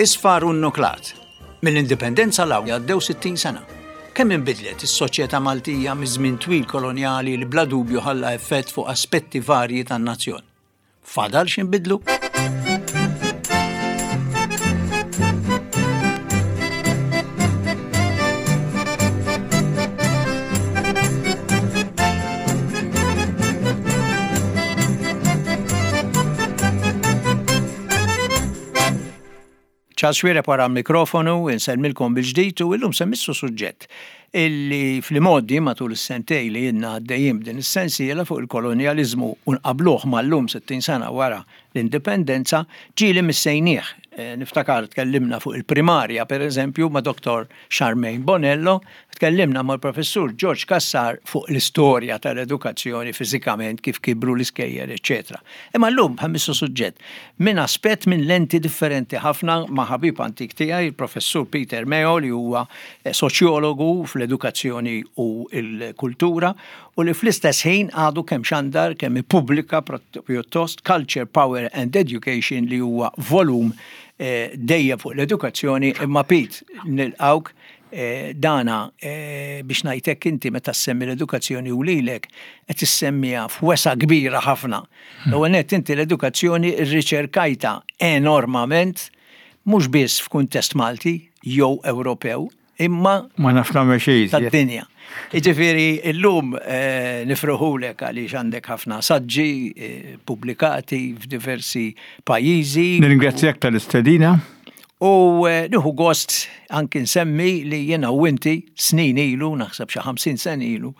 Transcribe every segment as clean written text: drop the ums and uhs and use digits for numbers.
Isfar u nnuklat. Mill-Indipendenza 'l hawn għaddew 60 sena. Kemm inbidlet is-soċjetà Maltija miż-żmien twil kolonjali li bla dubju ħalla effett fuq aspetti varji tan-nazzjon? Fadal x'inbidlu? Charles Xuereb wara l-mikrofonu, insellmilkom bil-ġdid u illum se mmissu suġġett illi fl-imgħoddi matul is-sentej li ilna għaddejjin b'din is-sensiela fuq il-kolonjaliżmu u nqabbluh mal-lum 60 sena wara l-indipendenza, ġieli missejnieh. Niftakar tkellimna fuq il-primarja pereżempju ma' Dottor Charmaine Bonello, tkellimna mal-Professur George Cassar fuq l-istorja tal-edukazzjoni fiżikament kif kibru l-iskejjel eċċetera. Imma llum ħa mmissu suġġett minn aspett minn lenti differenti ħafna ma' ħabib antik tiegħi, il-Professur Peter Meo li huwa soċjologu fl-edukazzjoni u l-kultura u li fl-istess ħin għadu kemm xandar kemm ippubblika pjuttost Culture, Power and Education li huwa volum dejjem fuq l-edukazzjoni imma Pete nilqgħuk dana biex ngħid hekk inti meta ssemmi l-edukazzjoni u lilek qed issemmiha f'wesgħa kbira ħafna. L-ewwel nett inti l-edukazzjoni rriċerkajtha enormament mhux biss f'kuntest Malti jew Ewropew imma Ma naf nagħmel xejn iżjed. Tad-dinja. Jiġifieri llum nifruħulek għaliex għandek ħafna saġġi pubblikati f'diversi pajjiżi. Nirringrazzjak tal-istedina. U nieħu gost anki nsemmi li jiena u inti snin ilu, naħseb xi 50 sena ilu,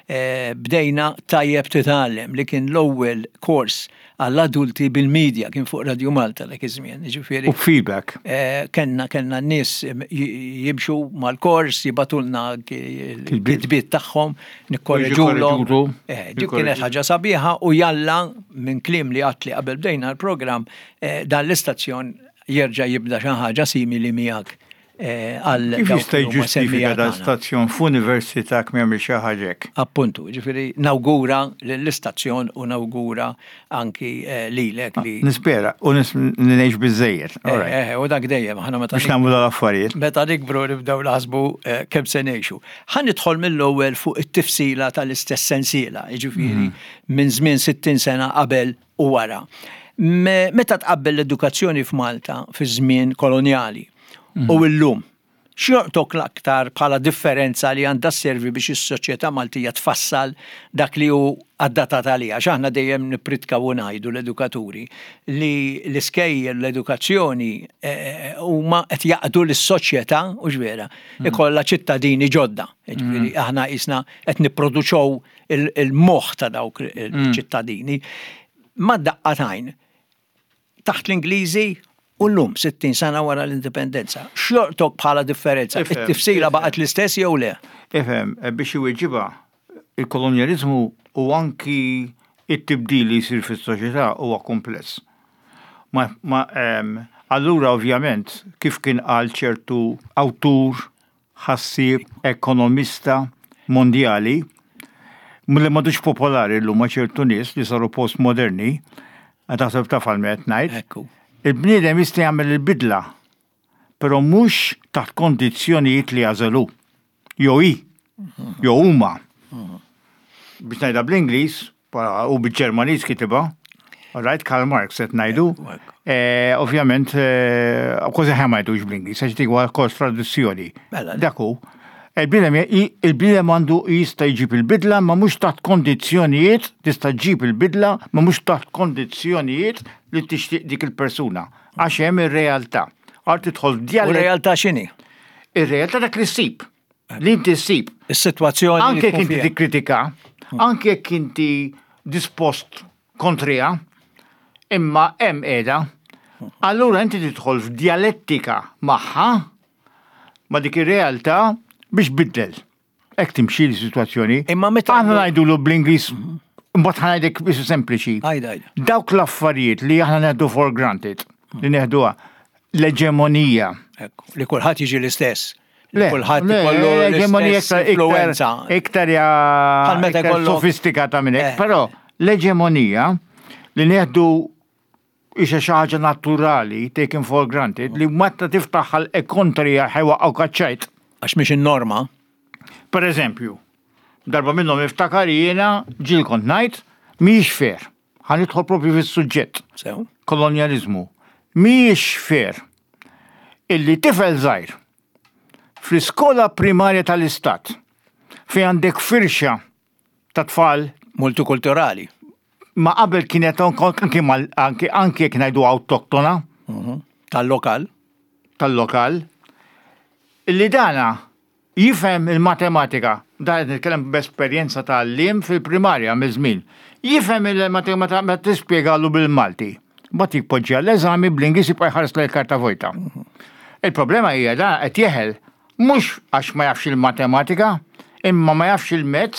bdejna Tajjeb Titgħallem li kien l-ewwel kors għall-adulti bil-media kien fuq Radio Malta dak iż-żmien, jiġifieri. U feedback. Eh, kenna kellna n-nies jimxu mal-kors, jibatulna l-kitbiet tagħhom, nikkorreġulhom. Eh, dik kienet ħaġa sabiħa u jalla minn kliem li għatli qabel bdejna l-programm eh, dan l-istazzjon jerġa' jibda xi ħaġa simili miegħek għal. Kif jista' jiġġustifika dan stazzjon f'università jekk m'jagħmilx xi ħaġa hekk? Appuntu, ġifieri nawgura lill-istazzjon u nawgura anki lilek li. Nispera u ngħix biżżejjed. Eh, u dak dejjem aħna meta. Biex nagħmlu l-affarijiet. Meta nikbru nibdew naħsbu kemm se ngħixu. Ħa nidħol mill-ewwel fuq it-tifsila tal-istess sensiela, jiġifieri minn żmien 60 sena qabel u wara. Meta tqabbel l-edukazzjoni f'Malta fi żmien kolonjali u mhm. illum, x'jorqtok l-aktar bħala differenza li għandha sservi biex is-soċjetà Maltija tfassal dak li hu adatat għaliha? Għax aħna dejjem nippritkaw u ngħidu l-edukaturi li l-iskejjel l-edukazzjoni eh, eh, huma qed jaqdu lis-soċjetà u vera mhm. ikollha ċittadini ġodda. Jiġifieri mhm. aħna qisna qed nipproduċew il-moħħ ta' dawk il-ċittadini. Ma daqqa t'għajn taħt l-Ingliżi u llum 60 sena wara l-indipendenza. X'jortok bħala differenza? It-tifsira baqgħet l-istess jew le? Ifhem, eh, biex iweġibha, il-kolonjaliżmu u anki it-tibdil li jsir fis-soċjetà huwa kumpless. Ma, ma, ehm, allura ovvjament kif kien qal ċertu awtur ħassieb, ekonomista mondjali, li m'għadux popolari llum ma' ċertu nies li saru postmoderni, taħseb taf għal min qed ngħid. Ekku. Il-bniedem jista' jagħmel il-bidla, però mhux taħt kondizzjonijiet li jagħżel hu. Jew hi, jew huma. Biex ngħidha bl-Ingliż, U bil-Ġermaniż kitibha. Right, Karl Marx qed ngħidu. Eh, ovvjament, eh, kważi ħa ma jgħidux bl-Ingliż, għax dik huwa kors traduzzjoni. Mela. Dak hu. Il-bniedem għandu jista' jġib il-bidla ma mhux taħt kondizzjonijiet, tista' ġġib il-bidla ma mhux taħt kondizzjonijiet li tixtieq dik il-persuna. Għax hemm ir-realtà. Għal tidħol U realtà x'inhi? Ir-realtà dak li ssib. Li inti ssib. Is-sitwazzjoni. Anke jekk inti tikkritika, anke jekk inti dispost kontriha, imma hemm qiegħda. Allura inti tidħol f'djalettika magħha ma' dik ir-realtà biex biddel. Hekk timxi l-sitwazzjoni. Imma meta aħna ngħidulu bl-Ingliż mbagħad ħa ngħidlek biss sempliċi. Dawk l-affarijiet li aħna neħdu for granted, li neħduha l-eġemonija. Li kulħadd jiġi l-istess. Le, kulħadd ikollu l-eġemonija influenza. Iktar ja iktar sofistikata minn hekk, eh. però l-eġemonija li neħdu Isha xi ħaġa naturali, taken for granted, li meta tiftaħ ħalqek kontriha ħa jwaqqgħuk għaċ-ċajt. Għax mhix in-norma. Per eżempju, darba minnhom niftakar jiena ġieli kont ngħid mhijiex fair. Ħa nidħol propju fis-suġġett. Sew. Kolonjaliżmu. Mhijiex fair illi tifel żgħir fl-iskola primarja tal-istat fejn għandek firxa ta' tfal multikulturali. Ma qabel kienet anki anki anki jekk ngħidu awtoktona. Mhm. Tal-lokal. Tal-lokal. Illi dana jifhem il-matematika, dan qed nitkellem b'esperjenza ta' għalliem fil-primarja miż-żmien. Jifhem il-matematika meta tispjegalu bil-Malti. Mbagħad jpoġġi għall-eżami bl-Ingliż jibqa' jħares lejn karta vojta. Il-problema hija dan qed jeħel mhux għax ma jafx il-matematika, imma ma jafx il-mezz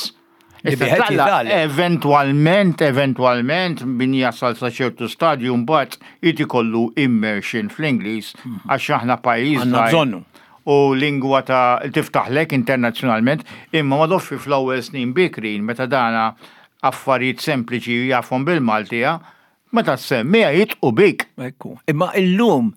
Eventwalment, eventwalment, min jasal sa ċertu stadju mbagħad irid ikollu immersion fl-Ingliż mhm. għax aħna pajjiż. Għandna bżonnu. U lingwa ta' tiftaħlek internazzjonalment, imma ma doffi fl-ewwel snin bikrin meta dana affarijiet sempliċi jafhom bil-Maltija, meta semmiha jitqu bik. Ekku. Imma illum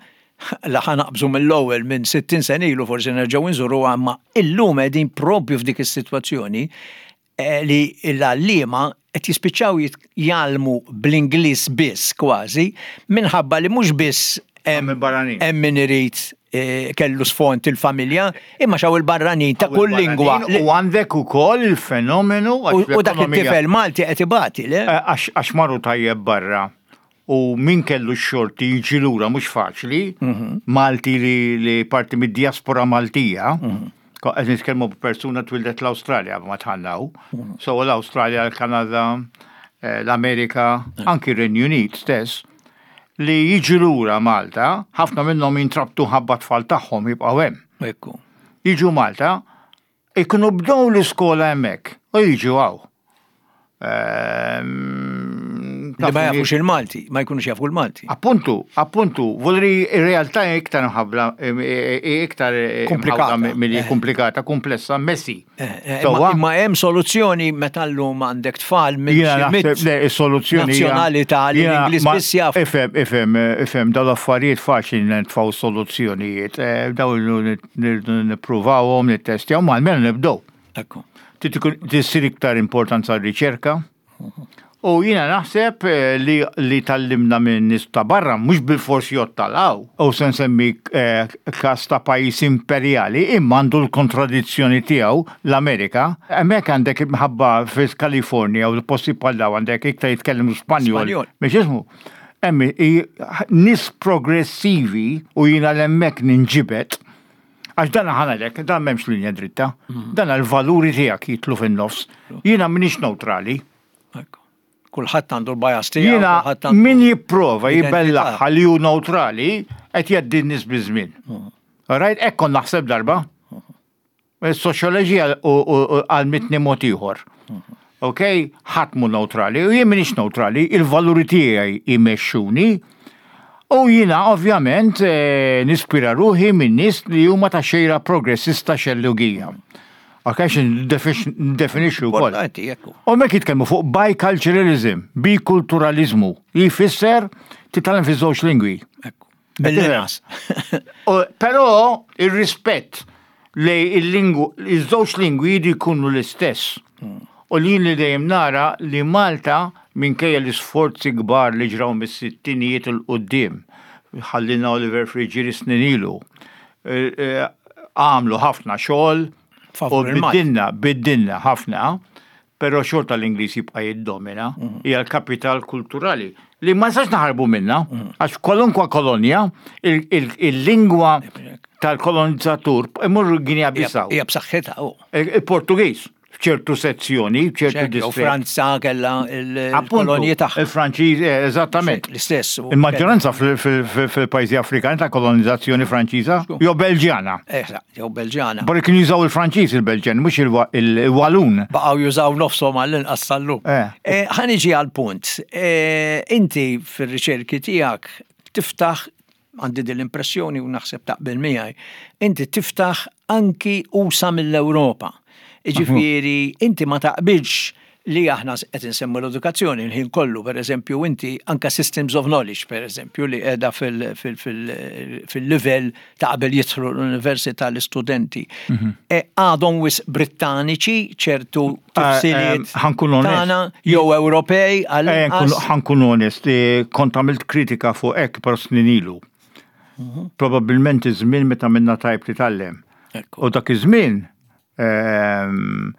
la ħa naqbżu mill-ewwel minn 60 sena ilu forsi nerġgħu nżuruha imma illum qegħdin propju f'dik is-sitwazzjoni eh, li l-għalliema qed jispiċċaw jgħallmu bl-Ingliż biss kważi minħabba li mhux biss hemm min irid eh, kellu sfond il-familja, imma xaw il-barranin ta' kull lingwa. U għandek ukoll il-fenomenu U dak it-tifel Malti qed ibati, le? Eh, għax marru tajjeb barra u min kellu x-xorti jiġi lura mhux faċli, mhm. Malti li, li parti mid-diaspora Maltija, mhm. qed nitkellmu b'persuna twildet l-Awstralja ma tħannaw. Mhm. So l-Awstralja, l-Kanada, eh, l-Amerika, anki r-Renju Unit stess, li jiġu lura Malta, ħafna minnhom jintrabtu ħabba tfal tagħhom jibqgħu hemm. Ekku. Jiġu Malta, Ikunu bdew l-iskola hemmhekk u jiġu hawn. Ehm, li ma jafux il-Malti, ma jkunux jafu l-Malti. Appuntu, appuntu, volri ir-realtà iktar mħabla, iktar komplikata, milli eh. komplikata, komplessa, messi. Eh, eh, imma hemm soluzzjoni meta llum għandek tfal minn Le, is-soluzzjoni nazzjonalità li l-Ingliż biss jaf. Ifhem, ifhem, ifhem, dawn l-affarijiet faċli nitfgħu soluzzjonijiet, dawn nippruvawhom, nittestjaw, ma almenu nibdew. Ekku. Tissir iktar importanza r-riċerka. U jiena naħseb eh, li, li tallimna minn nies ta' barra mhux bil-fors jottalaw. U se nsemmi eh, każ ta' pajjiż imperjali imma għandu l-kontradizzjoni tiegħu l-Amerika. Hemmhekk għandek imħabba fil-Kalifornja u l-posti bħal daw għandek iktar jitkellmu Spanjol. Mhux ismu. Hemm nies progressivi u jiena l-hemmhekk ninġibed Għax dan ħanalek, dan m'hemmx linja dritta. Mm. Dan għal-valuri tiegħek jitlu fin-nofs. Jiena m'iniex neutrali. Kulħadd għandu l-bias tiegħu. Jiena min jipprova jibellaħħa li hu neutrali qed jgħaddi n-nies biż-żmien. Mm. Right, hekk kont naħseb darba. Is-soċjoloġija għalmitni mod ieħor. Ok, ħadd mhu neutrali, u jien m'iniex neutrali, il-valuri tiegħi jmexxuni. U jiena ovvjament eh, nispira ruħi minn nies li huma ta' xejra progressista xellugija. Ok, ndefinixxu wkoll. U mek jitkellmu fuq biculturalism, bikulturalizmu, li jfisser titgħallem fi żewġ lingwi. Mill-inqas. Però ir-rispett li il-lingwu, iż-żewġ lingwi jridu jkunu l-istess. Hmm. U li li dejjem nara li Malta minkejja l-isforzi kbar li ġraw mis-sittinijiet il quddiem ħallina Oliver Friggieri snin ilu, eh, eh, għamlu ħafna xogħol u biddilna, biddilna ħafna, Però xorta l-Ingliż jibqa' jiddomina, hija l-kapital kulturali li ma nistax naħarbu minnha, għax kwalunkwa kolonja, il-lingwa tal-kolonizzatur imur Guinea Bissau. Hija b'saħħitha. Il-Portugiż f'ċertu sezzjoni, f'ċertu distrett. Franza kellha il-kolonji tagħha. Il-Franċiż, eh, eżattament. L-istess. Il-maġġoranza fil-pajjiżi Afrikani ta' kolonizzazzjoni Franċiża jew Belġjana. Eh, jew Belġjana. Barra kienu jużaw il-Franċiż il-Belġjan, mhux il-Walun. Baqgħu jużaw nofshom għall-inqas sal-lum. Eh. eh, ħa niġi għall-punt. Eh, inti fir-riċerki tiegħek tiftaħ għandi din l-impressjoni u naħseb taqbel miegħi, inti tiftaħ anki usa mill-Ewropa. Ġifieri inti ma taqbilx. li aħna qed insemmu l-edukazzjoni l-ħin kollu, per eżempju, inti anka systems of knowledge, per eżempju, li qiegħda fil-livell ta' qabel jidħlu l-università l-istudenti. Mhm. E, għadhom wis Brittaniċi ċertu eh, tifsiriet ħankun tagħna jew Ewropej għal eh, Ħankun onest, eh, kont għamilt kritika fuq hekk però snin ilu. Mhm. Probabbilment iż-żmien meta minna tajb titgħallem. U dak iż-żmien ehm,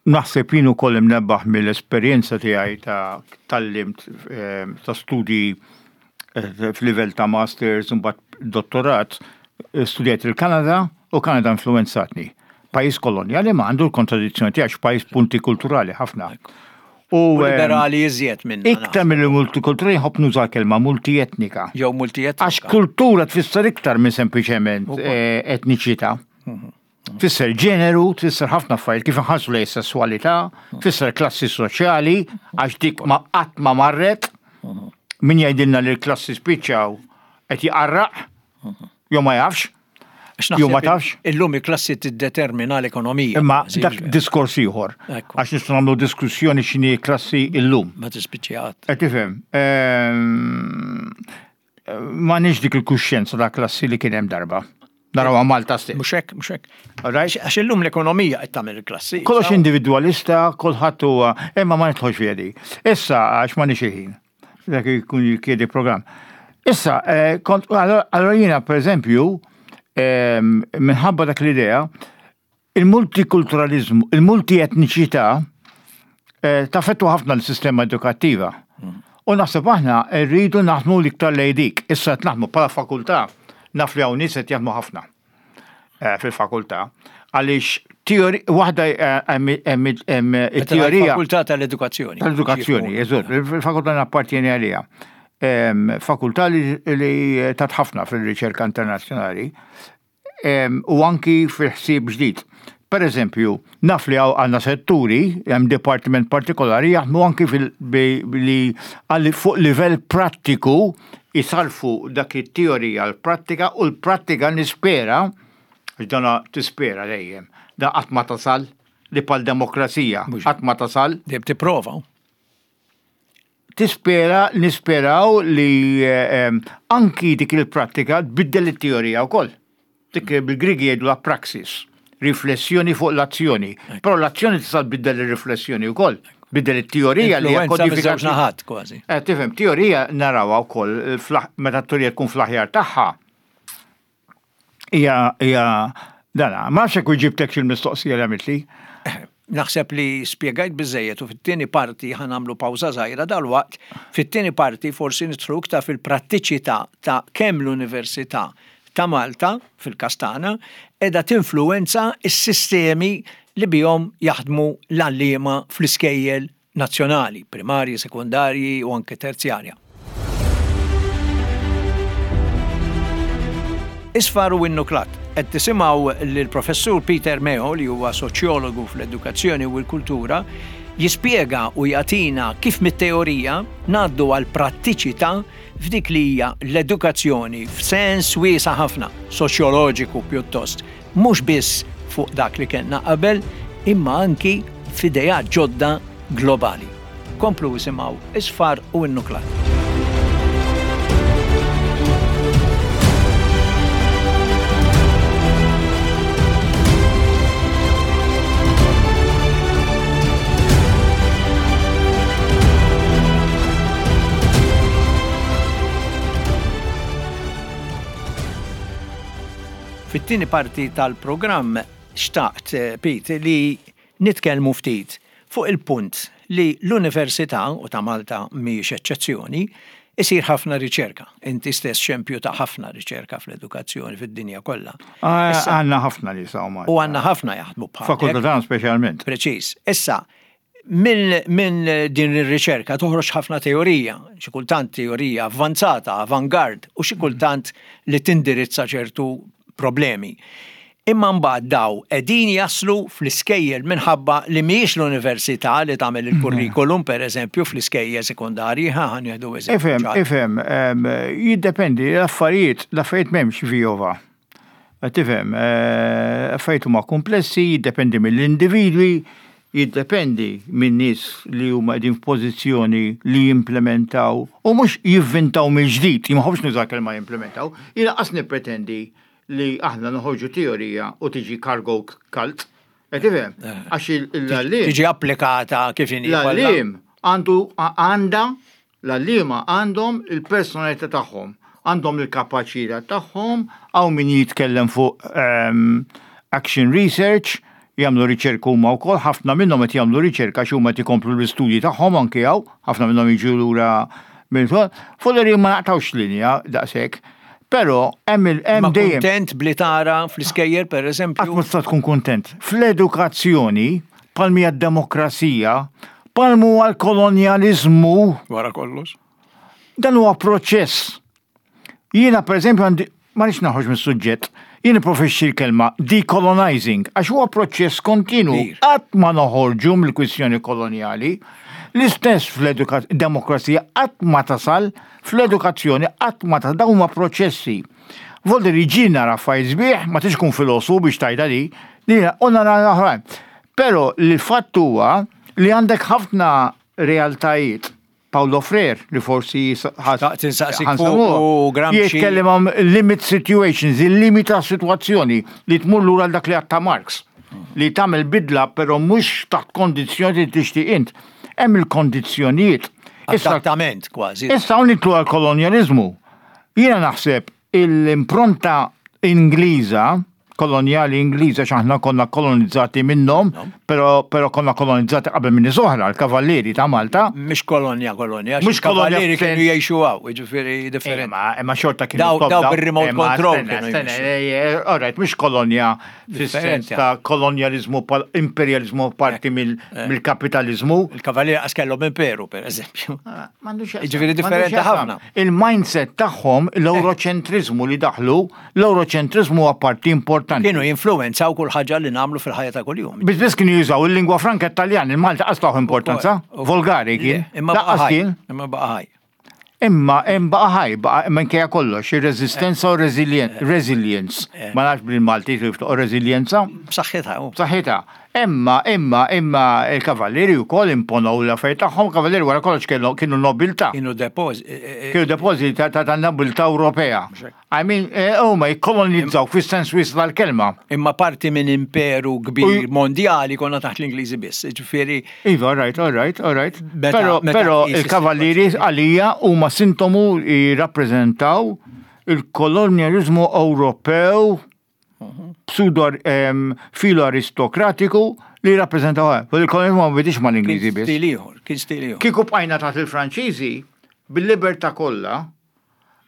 naħseb jien ukoll imnebbaħ mill-esperjenza tiegħi ta' tallimt ehm, ta' studji eh, f'livell ta' masters u mbagħad dottorat, eh, studjajt il-Kanada u Kanada influenzatni. Pajjiż kolonjali ma għandu l-kontradizzjoni tiegħek pajjiż punti kulturali ħafna. U ehm, liberali iżjed minn. Iktar mill multikulturali ħobb nuża kelma multietnika. Jew multietnika. Għax kultura tfisser iktar minn sempliċement eh, etniċità. Mhm. Tfisser ġeneru, tfisser ħafna affarijiet kif inħarsu lejn sessualità, tfisser klassi soċjali, għax dik ma qatt ma marret. Min jgħidilna li l-klassi spiċċaw qed jqarraq, jew ma jafx, jew ma tafx. Illum il-klassi tiddetermina l-ekonomija. Imma dak diskors ieħor. Għax nistgħu nagħmlu diskussjoni x'inhi klassi illum. Ma tispiċċi Qed tifhem. Ehm, M'għandniex dik il-kuxjenza ta' klassi li kien hemm darba. Narawha Malta stess. Mhux hekk, mhux hekk. Għax illum l-ekonomija qed tagħmel il-klassi. Kollox individwalista, kulħadd huwa, imma ma nidħolx fiha di. Issa għax m'għandniex il-ħin. Dak ikun jikkiedi programm. Issa, eh, kont allora jiena pereżempju, ehm, minħabba dak l-idea, Il-multikulturaliżmu, il-multietniċità eh, taffettwa ħafna l-sistema edukattiva. U naħseb aħna rridu naħdmu l-iktar lejn dik. Issa qed naħdmu bħala fakultà, naf li hawn nies qed jaħdmu ħafna eh, fil-fakultà. Għaliex teori waħda eh, hemm it-teorija. Fakultà tal-edukazzjoni. Tal-edukazzjoni, eżatt, il-fakultà nappartieni għaliha. Fakultà li tat ħafna fil-riċerka internazzjonali. u anki fil-ħsieb ġdid. Per eżempju, naf li għandna setturi, hemm dipartiment partikolari jaħdmu anki li fuq livell prattiku jisarfu dak it-teorija l-prattika u l-prattika nispera, għax dana tispera dejjem, da qatt ma tasal li pal demokrazija qatt ma tasal. Dejjem tipprova. Tispera, nisperaw li eh, anki dik il-prattika tbiddel it-teorija wkoll. Dik bil-Grigi jgħidu la praxis, riflessjoni fuq l-azzjoni. Però l-azzjoni tista' tbiddel ir-riflessjoni wkoll. Biddel it-teorija li hija kodifikata. naħat kważi. Eh, tifhem, teorija narawha wkoll eh, meta t-teorija tkun fl-aħjar tagħha. Hija hija dana. Ma nafx hekk ġibtek il-mistoqsija li għamiltli. Naħseb li spjegajt biżejjed u fit-tieni parti ħa nagħmlu pawża żgħira dalwaqt. Fit-tieni parti forsi nidħlu iktar fil-prattiċità ta' kemm l-Università ta' Malta, fil-każ tagħna, qiegħda tinfluwenza s-sistemi li bihom jaħdmu l-għalliema fl-iskejjel nazzjonali, primarji, sekondarji u anke terzjarja. Isfar u Innuklat. Qed tisimgħu lill-Professur Peter Meo li huwa soċjologu fl-edukazzjoni u l-kultura jispjega u jagħtina kif mit-teorija ngħaddu għal prattiċità f'dik li hija l-edukazzjoni f'sens wiesa' ħafna, soċjoloġiku pjuttost, mhux biss fuq dak li kellna qabel imma anki f'ideat ġodda globali. Komplu isimgħu Isfar u Innuklat. Fit-tieni parti tal-programm xtaqt, Pete, li nitkellmu ftit fuq il-punt li l-Università, u ta' Malta mhijiex eċċezzjoni, isir ħafna riċerka. Inti stess xempju ta' ħafna riċerka fl-edukazzjoni fid-dinja kollha. Għandna ħafna nies hawn Malta. U għandna ħafna jaħdmu bħal. Fakultà tagħna speċjalment. Preċiż. Issa, Minn din ir-riċerka toħroġ ħafna teorija, xi kultant teorija avvanzata, avant-garde, u xi kultant li tindirizza ċertu problemi. Imma mbagħad daw qegħdin jaslu fl-iskejjel minħabba li mhijiex l-università li tagħmel il-kurrikulum pereżempju fl-iskejjel sekondarji, ħa ħa nieħdu eżempju. Ifhem, ifhem, jiddependi, l-affarijiet, l-affarijiet m'hemmx vijova. Tifhem, affarijiet huma komplessi, jiddependi mill-individwi. Jiddependi minn nies li huma qegħdin f'pożizzjoni li jimplementaw u mhux jivvintaw mill-ġdid, jien ma nħobbx nuża l-kelma jimplementaw, jien lanqas nippretendi li aħna noħorġu teorija u tiġi cargo cult. Qed tifhem? Eh. Għax l-għalliem. Tiġi applikata kif inhi. L-għalliem għandu għandha L-għalliema għandhom il-personalità tagħhom, għandhom il-kapaċità tagħhom, hawn min jitkellem fuq action research, jagħmlu riċerka huma wkoll, ħafna minnhom qed jagħmlu riċerka għax huma qed ikomplu l-istudji tagħhom anki hawn, ħafna minnhom jiġu lura minn fuq li ma naqtgħux linja daqshekk. Però hemm il hemm dejjem. Kuntent bli tara fl-iskejjel pereżempju. Qatt ma tista' tkun kuntent. Fl-edukazzjoni Bħal hija d-demokrazija, bħal huwa l-kolonjaliżmu. Wara kollox. Dan huwa proċess. Jiena pereżempju għandi ma nix naħroġ mis-suġġett, jien profexxi l-kelma decolonizing, għax huwa proċess kontinu. Qatt ma noħorġu mill-kwistjoni kolonjali. L-istess fl-demokrazija qatt ma tasal, fl-edukazzjoni qatt ma tasal, dawn huma proċessi. Volder jiġi nara affarijiet sbieħ, ma tix kun filosofu biex tajda li, li u nara oħrajn. Però l-fatt huwa li għandek ħafna realtajiet. Paulo Freire li forsi ħansaqsik Gramsci. Jitkellem għam limit situations, il-limita situazzjoni li tmur lura dak li għatta Marx. Li tagħmel bidla però mhux taħt kondizzjoni li tixtieq int. Hemm il-kondizzjonijiet. Esattament, kważi. Issa hawn nitlu għal-kolonjaliżmu. Jiena naħseb l-impronta Ingliża, kolonjali Ingliża x'aħna konna kolonizzati minnhom, però però konna kolonizzati qabel minn nies oħra, l-kavallieri ta' Malta. Mhix kolonja kolonja, mhux kavallieri kienu jgħixu hawn, jiġifieri differenti. Imma imma xorta kienu daw bir-remote control. All right, mhux kolonja fis-sens ta' kolonjaliżmu imperjaliżmu parti mill-kapitaliżmu. Il-kavallieri qas kellhom imperu, pereżempju. Ah, jiġifieri differenti ħafna. Il-mindset tagħhom, l-Ewroċentriżmu li daħlu, l-Ewroċentriżmu huwa parti importanti. Kienu jinfluwenzaw kull ħaġa li nagħmlu fil-ħajja ta' kuljum. Biss biss kienu jużaw il-lingwa franka Taljan, il-Malta qas tawh importanza, volgari kien. Imma baqa' ħaj. Imma baqa' ħaj. Imma hemm baqa' ħaj, baqa' minkejja kollox, ir-reżistenza u resilience. Ma nafx bil-Malti kif toqgħod reżiljenza. B'saħħitha. B'saħħitha. Imma, imma, imma il-kavallieri wkoll imponow l-affarijiet tagħhom, kavallieri wara kollox kienu nobiltà. Kienu depożiti. Kienu depożiti ta' nobiltà Ewropea. I mean, huma jikkolonizzaw fis-sens wiesa' tal-kelma. Imma parti minn imperu kbir mondjali konna taħt l-Ingliżi biss, ġifieri. Iva, all right, all right, all right. Però, però il-kavallieri għalija huma sintomu jirrappreżentaw il-kolonjaliżmu Ewropew pseudo filo aristokratiku li jirrappreżentaw. Il-kolonjaliżmu ma bidix mal-Ingliżi biss. Kien stil ieħor, kien stil ieħor. Kieku bqajna taħt il-Franċiżi, bil-libertà kollha,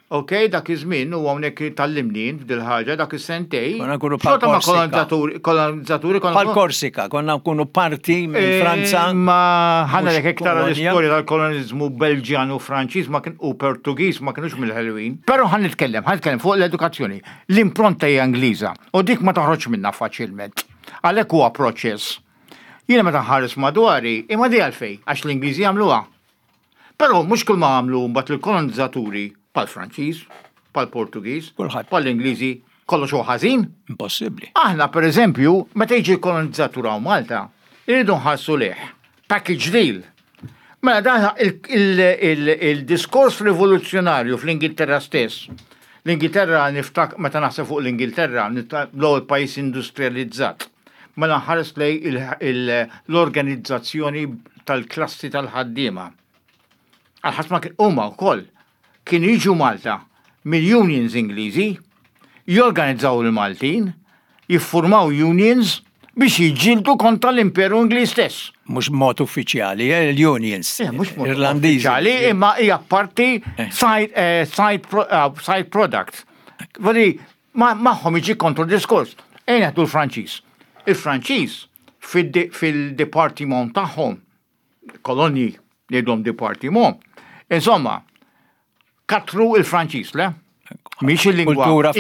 Ok, dak iż-żmien u hawnhekk tgħallimni int f'dil ħaġa dak is-sentej. Konna nkunu bħal Xorta ma kolonizzaturi, kolonizzaturi konna. Bħal Korsika, konna nkunu parti minn eh, Franza. Ma ħana lek iktar l-istorja tal-kolonizzmu Belġjan u Franċiż ma kien u Portugiż ma kienux mill-ħelwin. Però ħan nitkellem, ħan nitkellem fuq l-edukazzjoni. L-impronta hija Ingliża u dik ma toħroġ minna faċilment. Għalhekk huwa proċess. Jiena meta nħares madwari, imma di għalfej, għax l-Ingliżi jagħmluha. Però mhux kull ma għamlu mbagħad il-kolonizzaturi bħall-Franċiż, bħall-Portugiż, bħall-Ingliżi, kollox huwa ħażin. Impossibbli. Aħna pereżempju, meta jiġi l-kolonizzatur hawn Malta, irridu nħarsu lejh. Package deal. Mela dan il-diskors rivoluzzjonarju fl-Ingilterra stess. L-Ingilterra niftak meta naħseb fuq l-Ingilterra, l-ewwel pajjiż industrializzat. Mela nħares lejn l-organizzazzjoni tal-klassi tal-ħaddiema. Għal ħadd ma kien huma wkoll kienu jiġu Malta mill-unions Ingliżi, jorganizzaw il-Maltin, jiffurmaw unions biex jiġġieldu kontra l-Imperu Ingliż stess. Mhux b'mod uffiċjali, eh, l-unions. Eh, mhux mod uffiċjali, imma hija parti eh. side, eh, side, pro, uh, side product. Voli, magħhom jiġi kontra diskors. Ejja nieħdu l-Franċiż. Il-Franċiż fil-departiment tagħhom, kolonji ngħidhom departiment, insomma, katru il-Franċiż, le? Mhix il-lingwa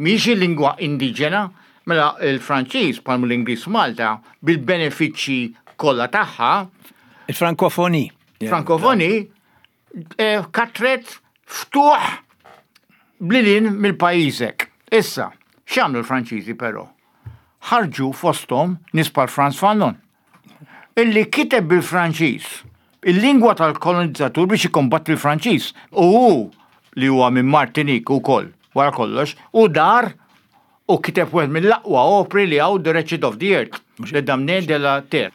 mhix il-lingwa indiġena, mela il-Franċiż bħal l-Ingliż Malta bil-benefiċċji kollha tagħha. Il-Frankofoni. Frankofoni eh, katret ftuħ blilin mill-pajjiżek. Issa, x'għamlu l-Franċiżi però? Ħarġu fosthom nies bħal Franz Fanon. Illi kiteb bil-Franċiż, il-lingwa tal-kolonizzatur biex jikkombatti l-Franċiż. U hu li huwa minn Martinique ukoll, wara kollox, u dar u kiteb wieħed mill-aqwa opri li hawn The Wretched of the Earth, Le Damné de la Terre.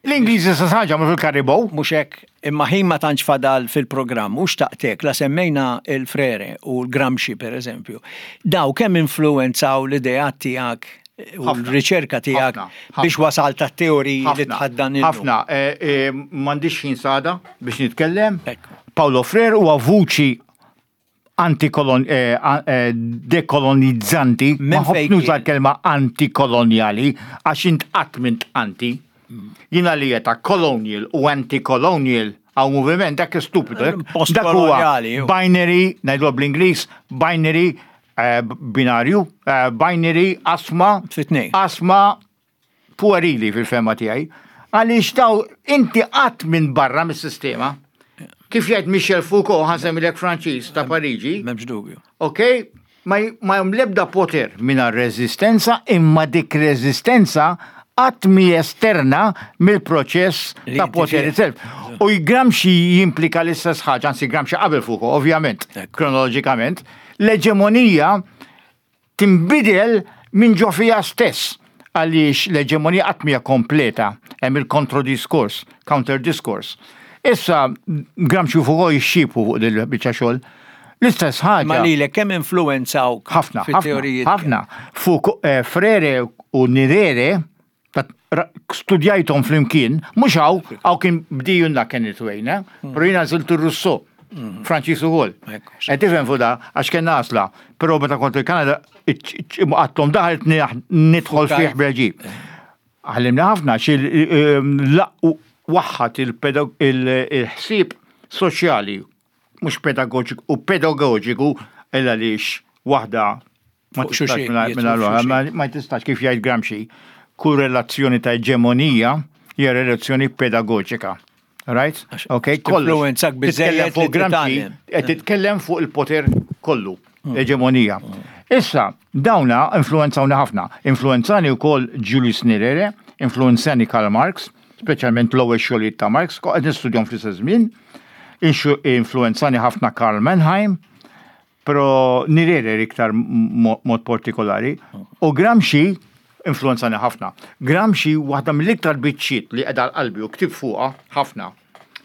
L-Ingliżi stess ħaġa għamlu fil-Caribou. Mhux hekk, imma ħin ma tantx fadal fil-programm u xtaqtek la semmejna l-Frere u l-Gramsci per eżempju. Daw kemm influwenzaw l-ideat tiegħek u l-riċerka tiegħek biex wasalt għat-teoriji li tħaddan illum? Ħafna, m'għandix ħin s'għada biex nitkellem. Paulo Frere huwa vuċi antikolon eh, eh, dekolonizzanti, ma nħobbx nuża l-kelma antikolonjali għax int qatt m'int anti. Jiena li ta' colonial u anti-colonial għaw moviment dak stupidu. Eh, dak huwa binary, ngħidu bl-Ingliż, binary binarju, binary asma, asma puerili fil-fehma tiegħi, għaliex daw inti qatt minn barra mis-sistema. Kif jgħid Michel Foucault, ħa nsemmilek Franċiż ta' Pariġi. M'hemmx dubju. Ok, ma hemm l-ebda poter mingħajr reżistenza, imma dik reżistenza qatt mi esterna mill-proċess ta' poter itself. U Gramsci jimplika l-istess ħaġa, anzi Gramsci qabel Foucault, ovvjament, kronoloġikament, l-eġemonija tinbidel minn ġo fiha stess għaliex l-eġemonija qatt mhija kompleta, hemm il-kontrodiskors, counter discourse. Issa Gramsci u Foucault jixxiebħu fuq din il-biċċa xogħol. L-istess ħaġa. Ma lilek kemm influwenzawk ħafna fit-teoriji? Ħafna. Fuq eh, Frere u Nirere studjajthom flimkien, mhux hawn, hawn kien bdijunna Kenneth Wayne, eh? Hmm. Però jiena żilt ir-Rousseau, hmm. Franċiż ukoll. Qed tifhem fuq da, għax kellna għażla. Però meta kont il-Kanada, għattom daħal nidħol fih bl-ġib. Għallimna ħafna xi eh, waħħat il-ħsieb soċjali, mhux pedagogiku u pedagogiku illa għaliex waħda Ma tistax mingħajr ma tistax kif jgħid Gramsci, kull relazzjoni ta' eġemonija hija relazzjoni pedagoġika. Right? Ok, kollu. Titkellem fuq Gramsci, qed titkellem fuq il-poter kollu, hmm. eġemonija. Hmm. Issa, dawna influenzawni ħafna. Influenzani wkoll Julius Nyerere, influenzani Karl Marx, speċjalment l-ewwel xogħlijiet ta' Marx, qed nistudjahom fl-istess żmien. Influenzani ħafna Karl Mannheim, Però Nyerere iktar mod partikolari. U Gramsci influenzani ħafna. Gramsci waħda mill-iktar biċċiet li qiegħda għal qalbi u ktibt fuqha ħafna.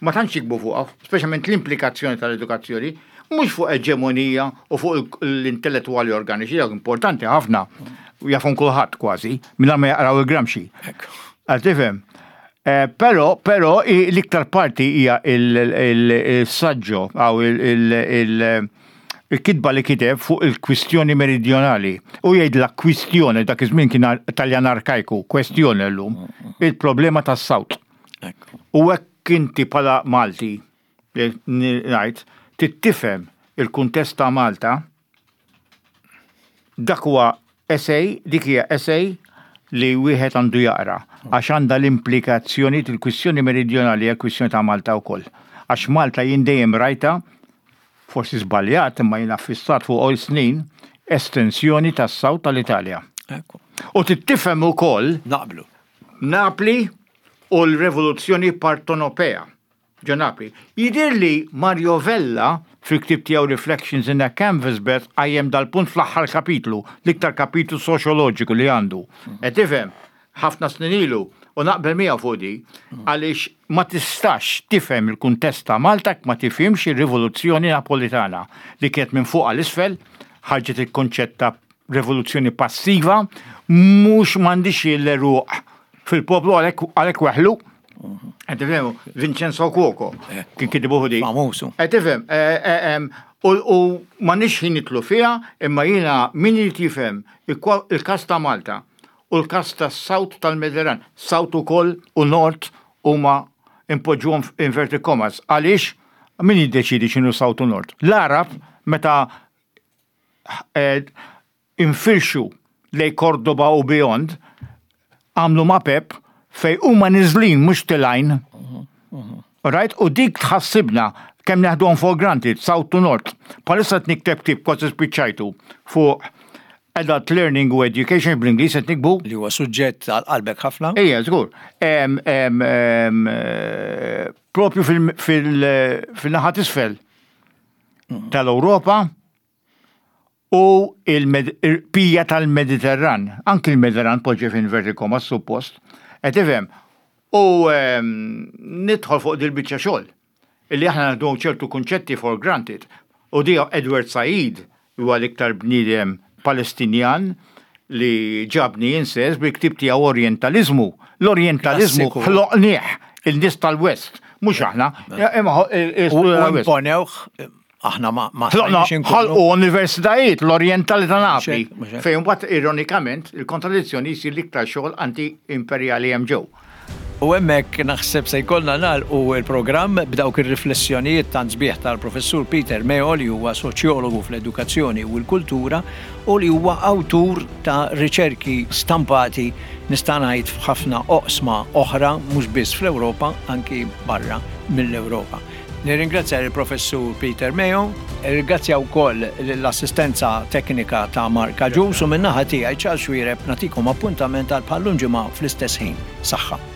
Ma tantx jiktbu fuqha, speċjalment l-implikazzjoni tal-edukazzjoni, mhux fuq eġemonija u fuq l-intellettwali organiċi, dawk importanti ħafna, jafhom kulħadd kważi, mingħajr ma jaqraw il-Gramsci. Għal tifhem? Eh, però, però l-iktar parti hija il-saġġo għaw il-kitba li kiteb fuq il-kwistjoni meridjonali. U jgħid la kwistjoni dak iż-żmien kien Taljan arkajku, kwestjoni llum, il-problema tas-sawt. U hekk inti bħala Malti, ngħid, tittifhem il-kuntest ta' Malta, Dak huwa essay, dik hija essay li wieħed għandu jaqra għax għandha l-implikazzjonijiet il-kwistjoni meridjonali hija kwistjoni ta' Malta wkoll. Għax Malta jien dejjem rajtha, forsi żbaljat imma jiena ffissat fuq għol snin, estensjoni tas-South tal-Italja. U trid tifhem ukoll Naqblu. Napli u l-revoluzzjoni partonopea. Ġo Napli. Jidhirli Mario Vella, fil-ktieb tiegħu Reflections in a Canvas Bed qajjem dal-punt fl-aħħar kapitlu, l-iktar kapitlu soċjoloġiku li għandu. Qed tifhem? Ħafna snin ilu, u naqbel miegħu fuq di, għaliex ma tistax tifhem il-kuntest ta' Malta jekk ma tifhimx ir-rivoluzzjoni Napolitana li kienet minn fuq għal isfel, ħarġet il-kunċett ta' rivoluzzjoni passiva, mhux m'għandix l-għeruq fil-poplu għalhekk weħlu. Qed tifhem, Vincenzo Cuoco eh. kien kitbu di. Famusu. Qed tifhem, eh, eh, u ma nix ħin nitlu fiha, imma jiena min irid jifhem il-każ ta' Malta u l-każ ta' South tal-Mediterran, South ukoll u North huma impoġġuhom inverted commas. Għaliex min jiddeċidi x'inhu South u North? L-Arab meta infirxu lejn Cordoba u beyond, għamlu mapep fejn huma niżlin mhux tilgħin. Right? U dik tħassibna kemm neħduhom for granted, south to north. Bħalissa qed nikteb ktieb kważi spiċċajtu fuq Adult Learning u Education bl-Ingliż qed nikbu. Li huwa suġġett għal qalbek ħafna. Ejja, żgur. Propju fil-naħa t'isfel tal-Ewropa u il-pija tal-Mediterran. Anki l-Mediterran poġġi f'inverted commas suppost. Qed tifhem? U nidħol fuq dil-biċċa xogħol. Illi aħna naħdu ċertu kunċetti for granted. U di Edward Said huwa l-iktar bniedem Palestinjan li ġabni insess bil-ktieb tiegħu Orientaliżmu. L-Orientaliżmu ħloqnieh il-nies tal-West, mhux aħna. Imma U imponewh aħna ma ma ħalqu universitajiet l-Orientali ta' Napli. Fejn mbagħad ironikament il-kontradizzjoni jsir l-iktar xogħol anti-imperjali hemm ġew. U hemmhekk naħseb se jkollna nagħlqu l-programm b'dawk ir-riflessjonijiet tant sbieħ tal-Professur Peter Meo li huwa soċjologu fl-edukazzjoni u l-kultura u li huwa awtur ta' riċerki stampati nista' ngħid f'ħafna oqsma oħra mhux biss fl-Ewropa anki barra mill-Ewropa. Nirringrazzja lill-Professur Peter Meo, nirringrazzja wkoll lill-assistenza teknika ta' Mark Agius u min-naħa tiegħi Charles Xuereb nagħtikom appuntament għal bħal-lum ġimgħa fl-istess ħin. Saħħa.